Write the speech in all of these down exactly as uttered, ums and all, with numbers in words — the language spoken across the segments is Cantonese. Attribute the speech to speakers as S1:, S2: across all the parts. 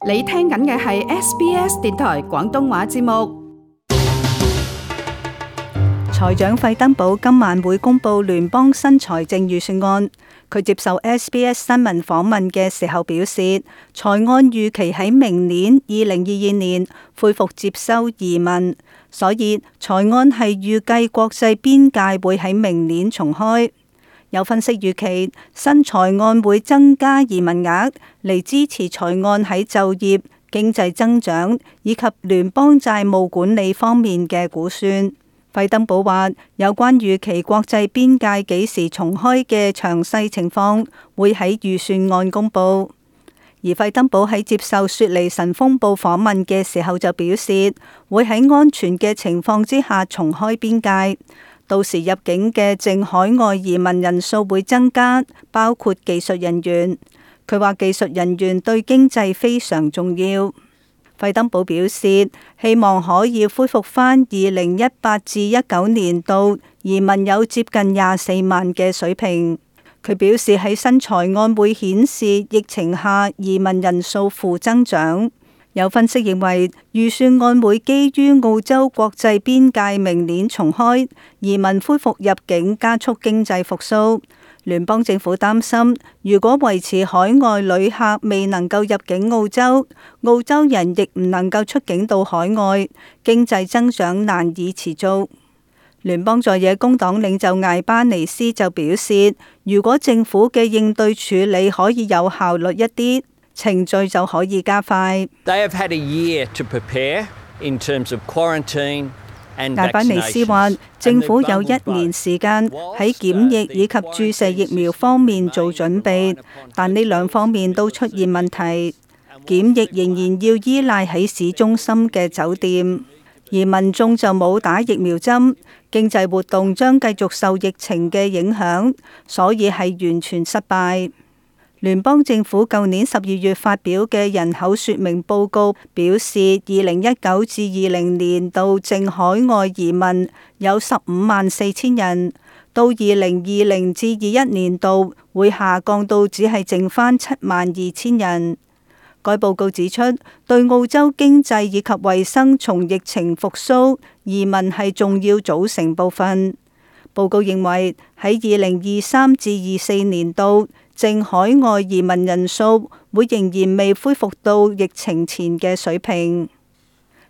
S1: 你聽緊嘅係 S B S 電台廣東話節目。
S2: 財長費登堡今晚會公布聯邦新財政預算案。佢接受 S B S 新聞訪問嘅時候表示，財案預期喺明年二零二二年恢復接收移民，所以財案係預計國際邊界會喺明年重開。有分析預期，新財案會增加移民額嚟支持財案喺就業、經濟增長以及聯邦債務管理方面嘅估算。費登堡話，有關預期國際邊界幾時重開嘅詳細情況會喺預算案公佈。而費登堡喺接受雪梨晨風報訪問嘅時候就表示，會喺安全嘅情況之下重開邊界。到時入境嘅淨海外移民人數會增加，包括技術人員。佢話技術人員對經濟非常重要。費登堡表示，希望可以恢復返二零一八至一九年度移民有接近廿四萬嘅水平。佢表示喺新財案會顯示疫情下移民人數負增長。有分析認為，預算案會基於澳洲國際邊界明年重開，移民恢復入境，加速經濟復甦。聯邦政府擔心，如果維持海外旅客未能夠入境澳洲，澳洲人亦唔能夠出境到海外，經濟增長難以持續。聯邦在野工黨領袖艾巴尼斯就表示，如果政府嘅應對處理可以有效率一啲，程序就可以加快。
S3: They have had a year to prepare in terms of quarantine and vaccinations.
S2: 艾巴尼斯話，政府有一年時間喺檢疫以及注射疫苗方面做準備，但呢兩方面都出現問題。檢疫仍然要依賴喺市中心嘅酒店，而民眾就冇打疫苗針。經濟活動將繼續受疫情嘅影響，所以係完全失敗。聯邦政府舊年十二月發表嘅人口說明報告表示，二零一九至二零年度淨海外移民有十五萬四千人，到二零二零至二一年度會下降到只係剩返七萬二千人。該報告指出，對澳洲經濟以及衛生從疫情復甦，移民係重要組成部分。報告認為喺二零二三至二四年度，淨海外移民人數會仍然未恢復到疫情前嘅水平。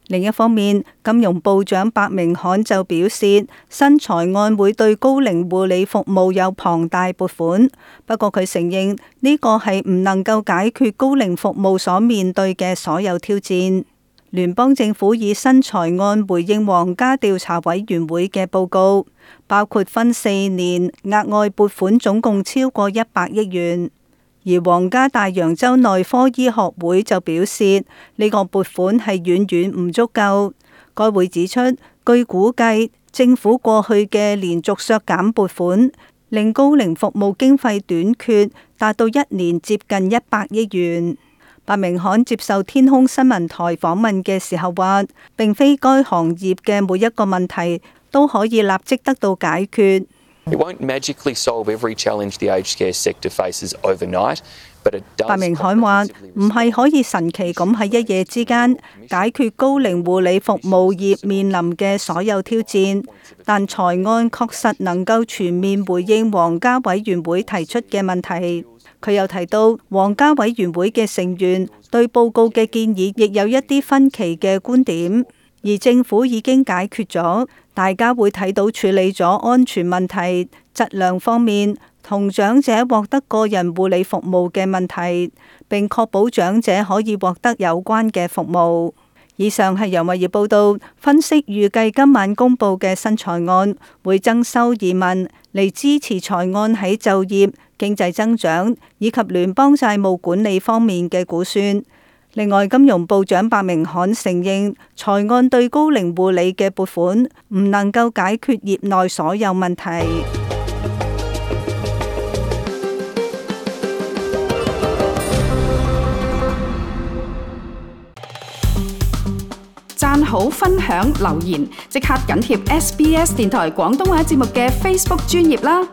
S2: 另一方面，金融部長白明漢就表示，新財案會對高齡護理服務有龐大撥款，不過佢承認呢個係唔能夠解決高齡服務所面對嘅所有挑戰。聯邦政府以新財案回應皇家調查委員會嘅報告，包括分四年額外撥款總共超過一百億元。而皇家大洋洲內科醫學會就表示，呢個撥款係遠遠唔足夠。該會指出，據估計，政府過去嘅連續削減撥款，令高齡服務經費短缺達到一年接近一百億元。白明漢接受天空新聞台訪問嘅時候話，並非該行業嘅每一個問題都可以立即得到解決。
S4: It won't magically solve every challenge the aged care sector faces overnight, but it does.
S2: 白明漢話，唔係可以神奇咁喺一夜之間解決高齡護理服務業面臨嘅所有挑戰，但財案確實能夠全面回應皇家委員會提出嘅問題。佢又提到，皇家委員會嘅成員對報告嘅建議亦有一啲分歧嘅觀點，而政府已經解決咗，大家會睇到處理咗安全問題、質量方面同長者獲得個人護理服務嘅問題，並確保長者可以獲得有關嘅服務。以上係由物業報道分析，預計今晚公佈嘅新財案會增收移民嚟支持財案喺就業、經濟增長以及聯邦債務管理方面嘅估算。另外，金融部長白明漢承認，財案對高齡護理嘅撥款唔能夠解決業內所有問題。
S1: 讚好、分享、留言，即刻緊貼 S B S 電台廣東話節目嘅 Facebook 專頁啦！